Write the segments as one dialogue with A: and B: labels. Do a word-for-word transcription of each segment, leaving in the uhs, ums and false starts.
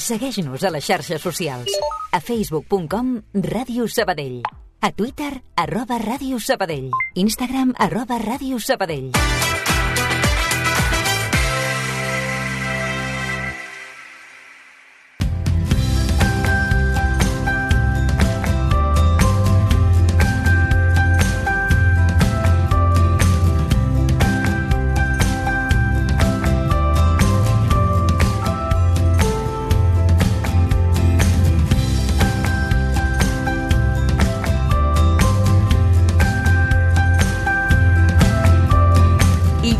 A: Segueix-nos a les xarxes socials. A facebook punt com Ràdio Sabadell. A Twitter, arroba Ràdio Sabadell. Instagram, arroba Ràdio Sabadell.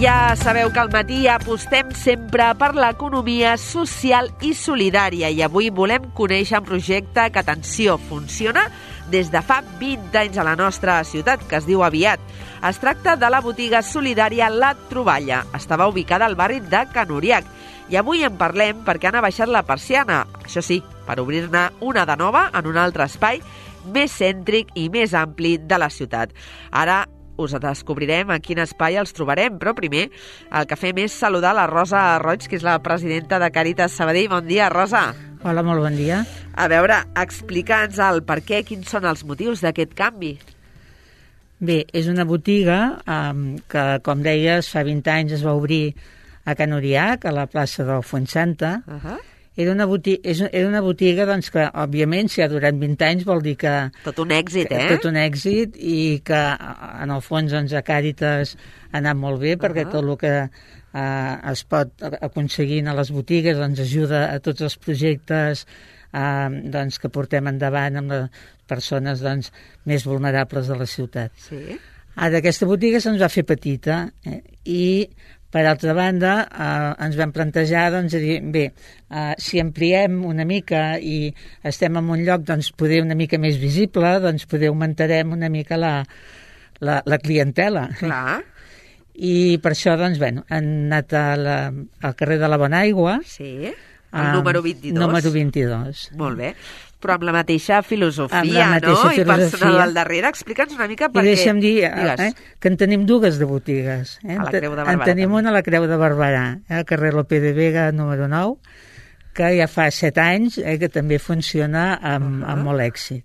B: Ja sabeu que al matí apostem sempre per l'economia social i solidària i avui volem conèixer un projecte que, atenció, funciona des de fa vint anys a la nostra ciutat, que es diu Aviat. Es tracta de la botiga solidària La Troballa. Estava ubicada al barri de Can Uriac i avui en parlem perquè han abaixat la persiana, això sí, per obrir-ne una de nova en un altre espai més cèntric i més ampli de la ciutat. Ara us descobrirem a quin espai els trobarem, però primer el que fem és saludar la Rosa Roig, que és la presidenta de Càritas Sabadell. Bon dia, Rosa.
C: Hola, molt bon dia.
B: A veure, explica'ns el per què, quins són els motius d'aquest canvi.
C: Bé, és una botiga um, que, com deies, fa vint anys es va obrir a Can Uriac, a la plaça del Fuensanta. Uh -huh. Era una botiga, era una botiga doncs, que, òbviament, si ha durat vint anys vol dir que...
B: Tot un èxit, eh?
C: Tot un èxit i que, en el fons, doncs, a Càritas ha anat molt bé, perquè uh -huh. tot el que eh, es pot aconseguir a les botigues doncs, ajuda a tots els projectes eh, doncs, que portem endavant amb les persones doncs, més vulnerables de la ciutat.
B: Sí.
C: Ara, aquesta botiga se'ns va fer petita eh, i... Per altra banda, eh, ens vam plantejar doncs, dir, bé, eh, si ampliem una mica i estem en un lloc doncs, poder una mica més visible, doncs poder augmentarem una mica la, la, la clientela.
B: Clar.
C: I per això doncs, bueno, han anat a la, al carrer de la Bonaigua.
B: Sí, el número vint-i-dos.
C: Número vint-i-dos.
B: Molt bé. Però amb la mateixa filosofia,
C: amb la mateixa
B: no?
C: Filosofia.
B: I personal al darrere. Explica'ns una mica per què...
C: I deixa'm dir eh, que en tenim dues de botigues. Eh?
B: A la Creu de Barberà.
C: En tenim una a la Creu de Barberà, eh? al carrer Lope de Vega, número nou, que ja fa set anys eh, que també funciona amb, uh -huh. amb molt èxit.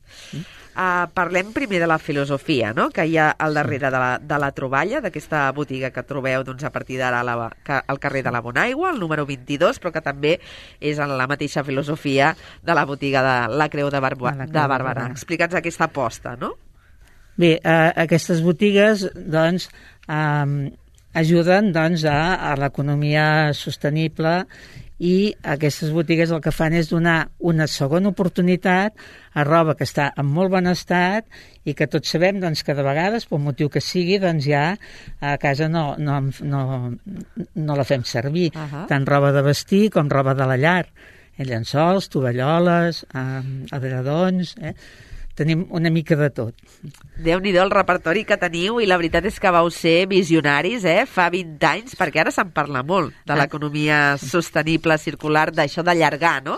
B: Uh, parlem primer de la filosofia, no?, que hi ha al darrere de la, de la Troballa, d'aquesta botiga que trobeu doncs, a partir d'ara al carrer de la Bonaigua, el número vint-i-dos, però que també és en la mateixa filosofia de la botiga de la Creu de, Barba, de Barberà. Explica'ns aquesta aposta, no?
C: Bé, uh, aquestes botigues doncs, um, ajuden doncs, a, a l'economia sostenible i aquestes botigues el que fan és donar una segona oportunitat a roba que està en molt bon estat i que tots sabem doncs, que de vegades, per motiu que sigui, doncs ja a casa no, no, no, no la fem servir. Uh -huh. Tant roba de vestir com roba de la llar. Eh, llençols, tovalloles, eh, adredons... Eh? Tenim una mica de tot.
B: Déu-n'hi-do el repertori que teniu i la veritat és que vau ser visionaris, eh? Fa vint anys, perquè ara se'n parla molt de l'economia sostenible, circular, d'això d'allargar, no?,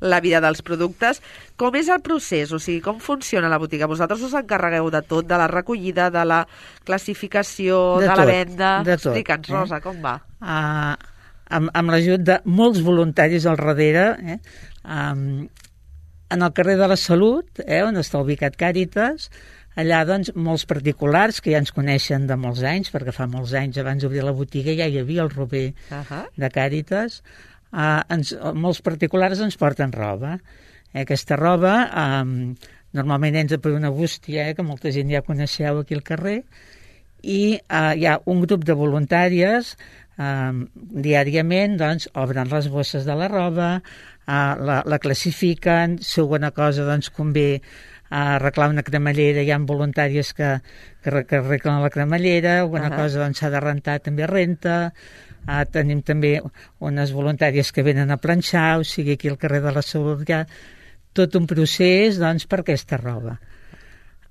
B: la vida dels productes. Com és el procés? O sigui, com funciona la botiga? Vosaltres us encarregueu de tot, de la recollida, de la classificació, de, de
C: tot,
B: la venda?
C: De tot.
B: Explica'ns, Rosa, eh? com va?
C: Uh, amb amb l'ajut de molts voluntaris al darrere, eh? Um, en el carrer de la Salut, eh, on està ubicat Càritas, allà doncs molts particulars que ja ens coneixen de molts anys, perquè fa molts anys abans d'obrir la botiga ja hi havia el Rober uh -huh. de Càritas, eh, ens, molts particulars ens porten roba. Eh, aquesta roba eh, normalment entra per una bústia, eh, que molta gent ja coneixeu aquí al carrer, i eh, hi ha un grup de voluntàries eh, diàriament doncs obren les bosses de la roba, Uh, la, la classifiquen, si alguna cosa doncs convé uh, arreglar una cremallera, hi ha voluntàries que, que, que arreglen la cremallera, alguna uh -huh. cosa doncs s'ha de rentar, també renta, uh, tenim també unes voluntàries que venen a planxar, o sigui aquí al carrer de la Salut hi ha tot un procés doncs per aquesta roba.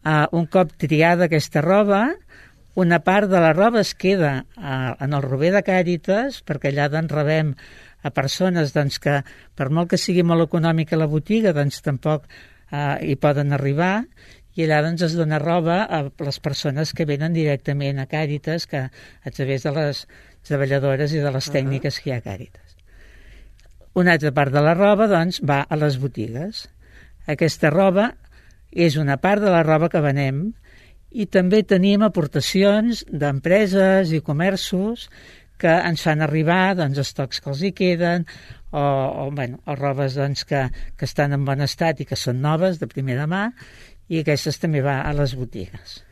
C: Uh, un cop triada aquesta roba, una part de la roba es queda uh, en el Rober de Càritas, perquè allà doncs rebem a persones doncs, que, per molt que sigui molt econòmica la botiga, doncs tampoc eh, hi poden arribar, i allà doncs, es dona roba a les persones que venen directament a Càritas, que a través de les treballadores i de les tècniques que hi ha a Càritas. una altra part de la roba doncs, va a les botigues. Aquesta roba és una part de la roba que venem i també tenim aportacions d'empreses i comerços que ens fan arribar doncs, estocs que els hi queden o, o, bueno, o robes doncs, que, que estan en bon estat i que són noves, de primera mà, i aquestes també va a les botigues.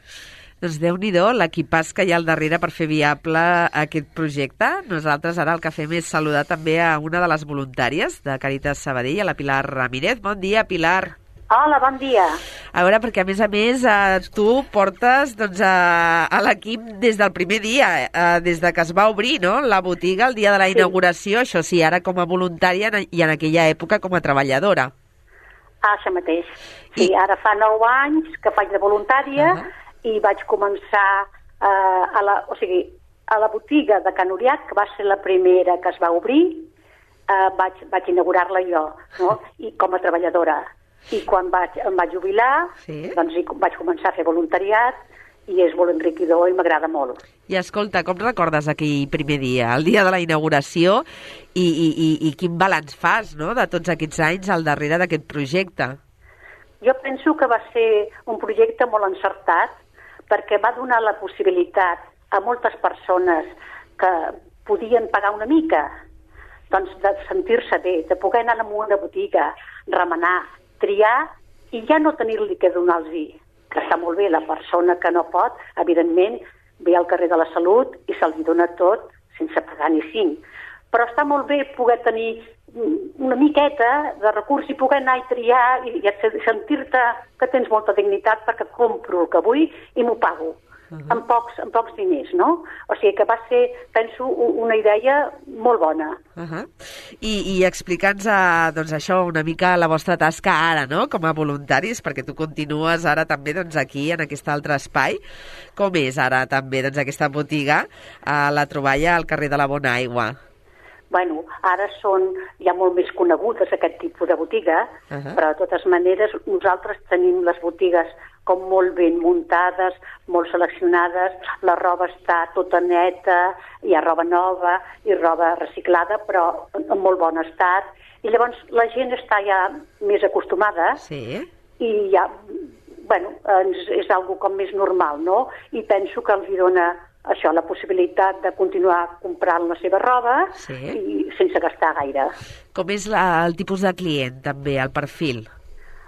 B: Doncs Déu-n'hi-do l'equipàs que hi ha al darrere per fer viable aquest projecte. Nosaltres ara el que fem és saludar també a una de les voluntàries de Càritas Sabadell, a la Pilar Ramírez. Bon dia, Pilar.
D: Hola, bon dia.
B: A veure, perquè a més a més eh, tu portes doncs, a, a l'equip des del primer dia, eh, des de que es va obrir, no?, la botiga el dia de la
D: Sí.
B: inauguració, això sí, ara com a voluntària i en aquella època com a treballadora.
D: Ah, això mateix. Sí,
B: I-
D: ara fa nou anys que faig de voluntària
B: Uh-huh.
D: i vaig començar eh, a, la, o sigui, a la botiga de Can Uriat, que va ser la primera que es va obrir, eh, vaig, vaig inaugurar-la jo, no?, i com a treballadora. I quan vaig, em vaig jubilar,
B: Sí.
D: doncs hi vaig començar a fer voluntariat i és molt enriquidor i m'agrada molt.
B: I escolta, com recordes aquell primer dia, el dia de la inauguració, i, i, i, i quin balanç fas, no?, de tots aquests anys al darrere d'aquest projecte?
D: Jo penso que va ser un projecte molt encertat perquè va donar la possibilitat a moltes persones que podien pagar una mica, doncs de sentir-se bé, de poder anar a una botiga, remenar, triar i ja no tenir-li que donar-los. Que està molt bé, la persona que no pot, evidentment, ve al carrer de la Salut i se'ls dona tot sense pagar ni cinc. Però està molt bé poder tenir una miqueta de recurs i poder anar i triar i, i sentir-te que tens molta dignitat perquè compro el que vull i m'ho pago. Uh -huh. amb, pocs, amb pocs diners, no? O sigui que va ser, penso, una idea molt bona.
B: Uh -huh. I, i explica'ns uh, doncs això, una mica la vostra tasca ara, no?, com a voluntaris, perquè tu continues ara també doncs, aquí, en aquest altre espai. Com és ara també doncs, aquesta botiga a la troballa al carrer de la Bona Aigua?
D: Bueno, ara són ja molt més conegudes aquest tipus de botiga,
B: Uh -huh.
D: però de totes maneres nosaltres tenim les botigues com molt ben muntades, molt seleccionades, la roba està tota neta, hi ha roba nova i roba reciclada, però en molt bon estat. I llavors la gent està ja més acostumada
B: Sí.
D: i ja, bueno, és, és algo com més normal, no? I penso que els hi dona això, la possibilitat de continuar comprant la seva roba
B: Sí.
D: i sense gastar gaire.
B: Com és la, el tipus de client, també, el perfil?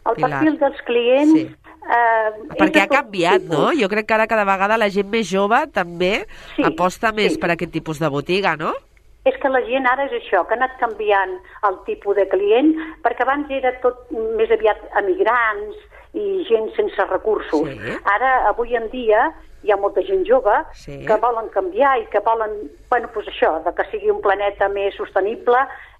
D: El
B: Pilar.
D: perfil dels clients...
B: Sí.
D: Eh, és
B: Perquè
D: de
B: ha
D: tot
B: canviat,
D: tipus.
B: no? Jo crec que ara cada vegada la gent més jove també
D: Sí,
B: aposta més
D: sí.
B: per aquest tipus de botiga, no?
D: És que la gent ara és això, que ha anat canviant el tipus de client, perquè abans era tot més aviat emigrants i gent sense recursos.
B: Sí.
D: Ara, avui en dia, hi ha molta gent jove
B: Sí.
D: que volen canviar i que volen, bueno, doncs això, de que sigui un planeta més sostenible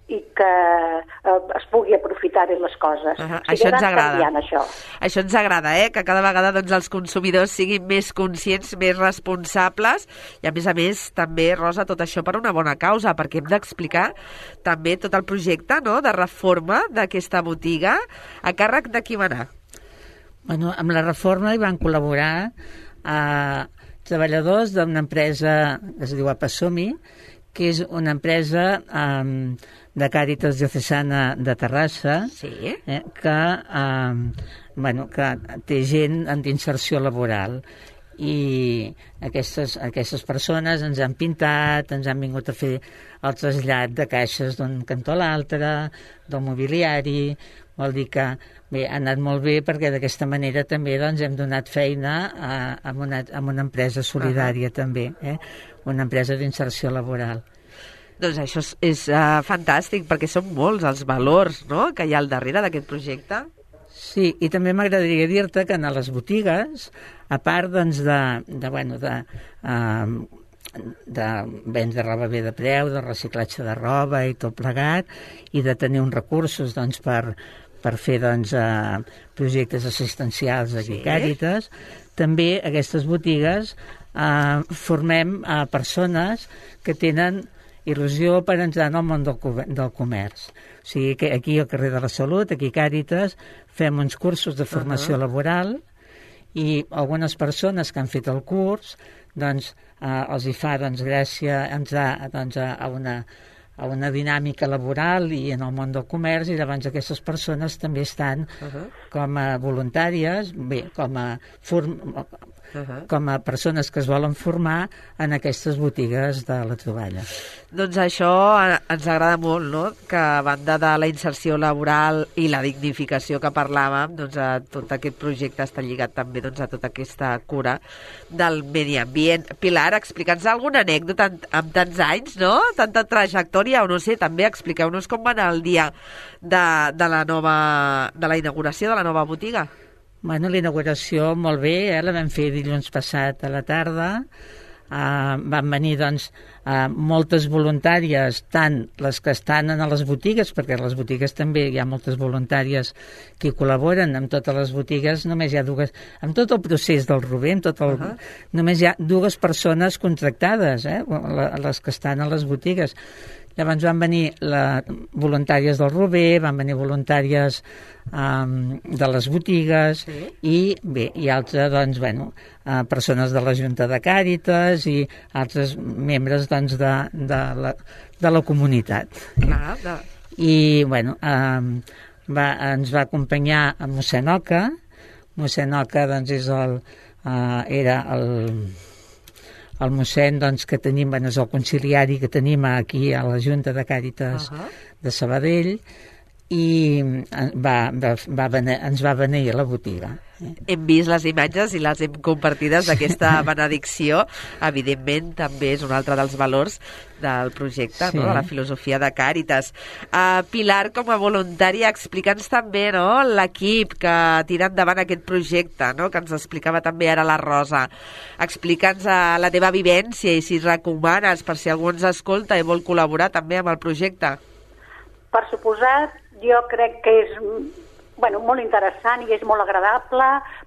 D: i que eh, es pugui aprofitar bé les coses.
B: Uh -huh.
D: O sigui,
B: Això ens
D: ha anat
B: agrada.
D: canviant, això.
B: Això ens agrada, eh? Que cada vegada doncs, els consumidors siguin més conscients, més responsables i, a més a més, també, Rosa, tot això per una bona causa, perquè hem d'explicar també tot el projecte, no?, de reforma d'aquesta botiga. A càrrec de qui va anar?
C: Bueno, amb la reforma hi van col·laborar eh, treballadors d'una empresa que es diu Apasomi, que és una empresa eh, de Càritas Diocesana de Terrassa,
B: Sí.
C: eh, que, eh, bueno, que té gent en d'inserció laboral. I aquestes, aquestes persones ens han pintat, ens han vingut a fer el trasllat de caixes d'un cantó a l'altre, del mobiliari. Vol dir que bé, ha anat molt bé perquè d'aquesta manera també doncs, hem donat feina a, a, una, a una empresa solidària uh -huh. també, eh? Una empresa d'inserció laboral.
B: Doncs això és, és uh, fantàstic, perquè són molts els valors, no?, que hi ha al darrere d'aquest projecte.
C: Sí, i també m'agradaria dir-te que en les botigues, a part doncs, de, de, bueno, de, uh, de vendre roba bé de preu, de reciclatge de roba i tot plegat, i de tenir uns recursos doncs, per, per fer doncs, uh, projectes assistencials aquí a Càritas, també aquestes botigues uh, formem uh, persones que tenen il·lusió per entrar en el món del, del comerç. O sigui que aquí al carrer de la Salut, aquí a Càritas, fem uns cursos de formació uh -huh. laboral i algunes persones que han fet el curs doncs, eh, els hi fa doncs, gràcia entrar doncs, a, una, a una dinàmica laboral i en el món del comerç, i llavors aquestes persones també estan uh-huh. com a voluntàries, bé, com a form... Uh-huh. com a persones que es volen formar en aquestes botigues de la troballa.
B: Doncs això ens agrada molt, no? Que a banda de la inserció laboral i la dignificació que parlàvem, doncs a tot aquest projecte està lligat també doncs, a tota aquesta cura del medi ambient. Pilar, explica'ns alguna anècdota amb tants anys, no? Tanta trajectòria, o no sé, també expliqueu-nos com va anar el dia de, de la nova, de la inauguració de la nova botiga.
C: Bueno, la inauguració molt bé, eh? La vam fer dilluns passat a la tarda. Uh, van venir doncs uh, moltes voluntàries, tant les que estan en les botigues, perquè a les botigues també hi ha moltes voluntàries que col·laboren. En totes les botigues només hi ha dues, en tot el procés del Rober, en tot el, uh-huh. només hi ha dues persones contractades, eh? Les que estan a les botigues. Llavors van venir la, voluntàries del Rober, van venir voluntàries um, de les botigues, sí. i bé, i altres, doncs, bueno, uh, persones de la Junta de Càritas i altres membres, doncs, de, de, la, de la comunitat.
B: Ah, de...
C: I, bueno, um, va, ens va acompanyar a mossèn Oca. Mossèn Oca, doncs, és el, uh, era el... el mossèn doncs, que tenim, bueno, és el conciliari que tenim aquí a la Junta de Càritas uh-huh. de Sabadell, i va, va, va venir, ens va venir a la botiga.
B: Hem vist les imatges i les hem compartides d'aquesta benedicció. Evidentment, també és un altre dels valors del projecte, sí. no? De la filosofia de Càritas. Uh, Pilar, com a voluntària, explica'ns també, no?, l'equip que tira endavant aquest projecte, no?, que ens explicava també ara la Rosa. Explica'ns uh, la teva vivència i si recomanes, per si algú ens escolta i vol col·laborar també amb el projecte.
D: Per suposat, jo crec que és bueno, molt interessant i és molt agradable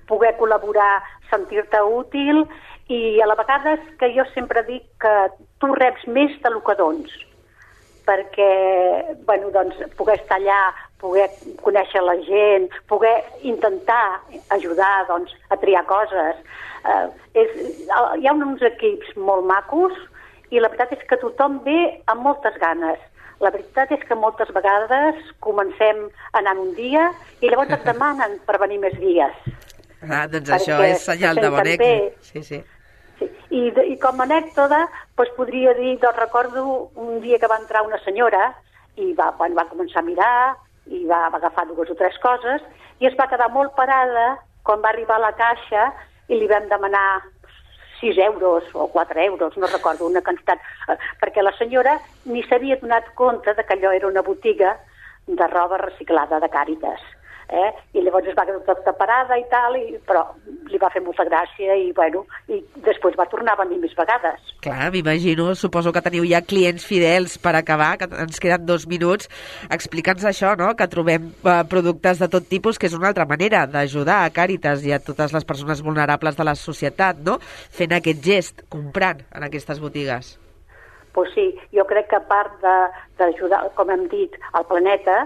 D: poder col·laborar, sentir-te útil, i a la vegada és que jo sempre dic que tu reps més del que dons, perquè bueno, doncs, poder estar allà, poder conèixer la gent, poder intentar ajudar doncs, a triar coses. Eh, és, hi ha uns equips molt macos i la veritat és que tothom ve amb moltes ganes. La veritat és que moltes vegades comencem anant un dia i llavors et demanen per venir més dies.
B: Ah, doncs això és senyal de bon èxit. Sí, sí.
D: Sí. I, I com a anècdota, doncs podria dir, doncs recordo un dia que va entrar una senyora i va, bueno, va començar a mirar i va, va agafar dues o tres coses i es va quedar molt parada quan va arribar a la caixa i li vam demanar sis euros o quatre euros, no recordo, una quantitat, perquè la senyora ni s'havia donat compte de que allò era una botiga de roba reciclada de Càritas. Eh? I llavors es va quedar tota parada i tal, i, però li va fer molta gràcia i, bueno, i després va tornar a venir més vegades.
B: Clar, m'imagino, suposo que teniu ja clients fidels per acabar, que ens queden dos minuts. Explica'ns això, no?, que trobem eh, productes de tot tipus, que és una altra manera d'ajudar a Càritas i a totes les persones vulnerables de la societat, no?, fent aquest gest, comprant en aquestes botigues.
D: Pues sí, jo crec que a part d'ajudar, com hem dit, al planeta,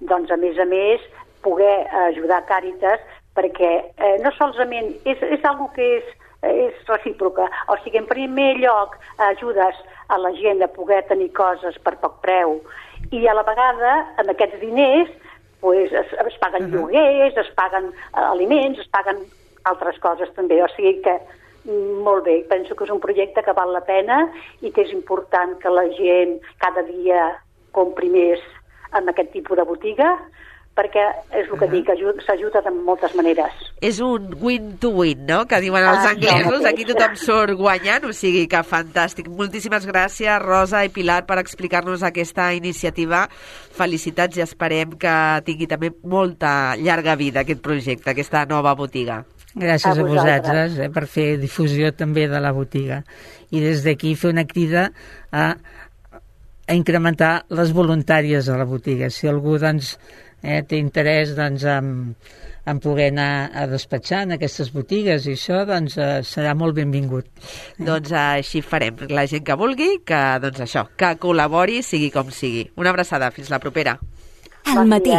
D: doncs a més a més poder ajudar Càritas, perquè eh, no solament és, és algo que és, és recíproca, o sigui, en primer lloc ajudes a la gent a poder tenir coses per poc preu i a la vegada amb aquests diners pues, es, es paguen uh-huh. lloguers, es paguen eh, aliments, es paguen altres coses també, o sigui que molt bé, penso que és un projecte que val la pena i que és important que la gent cada dia compri més en aquest tipus de botiga, perquè és el que uh-huh. dic, s'ajuda de moltes maneres.
B: És un win-to-win, no?, que diuen els ah, anglesos. Aquí tothom surt guanyant, o sigui que fantàstic. Moltíssimes gràcies, Rosa i Pilar, per explicar-nos aquesta iniciativa. Felicitats i esperem que tingui també molta llarga vida aquest projecte, aquesta nova botiga.
C: Gràcies a, a vosaltres eh, per fer difusió també de la botiga. I des d'aquí fer una crida a, a incrementar les voluntàries a la botiga. Si algú, doncs, eh, té interès doncs, en, en poder anar a despatxar en aquestes botigues i això, doncs, eh, serà molt benvingut. Eh?
B: Doncs eh, així farem. La gent que vulgui, que, doncs això, que col·labori, sigui com sigui. Una abraçada. Fins la propera.
A: Al matí.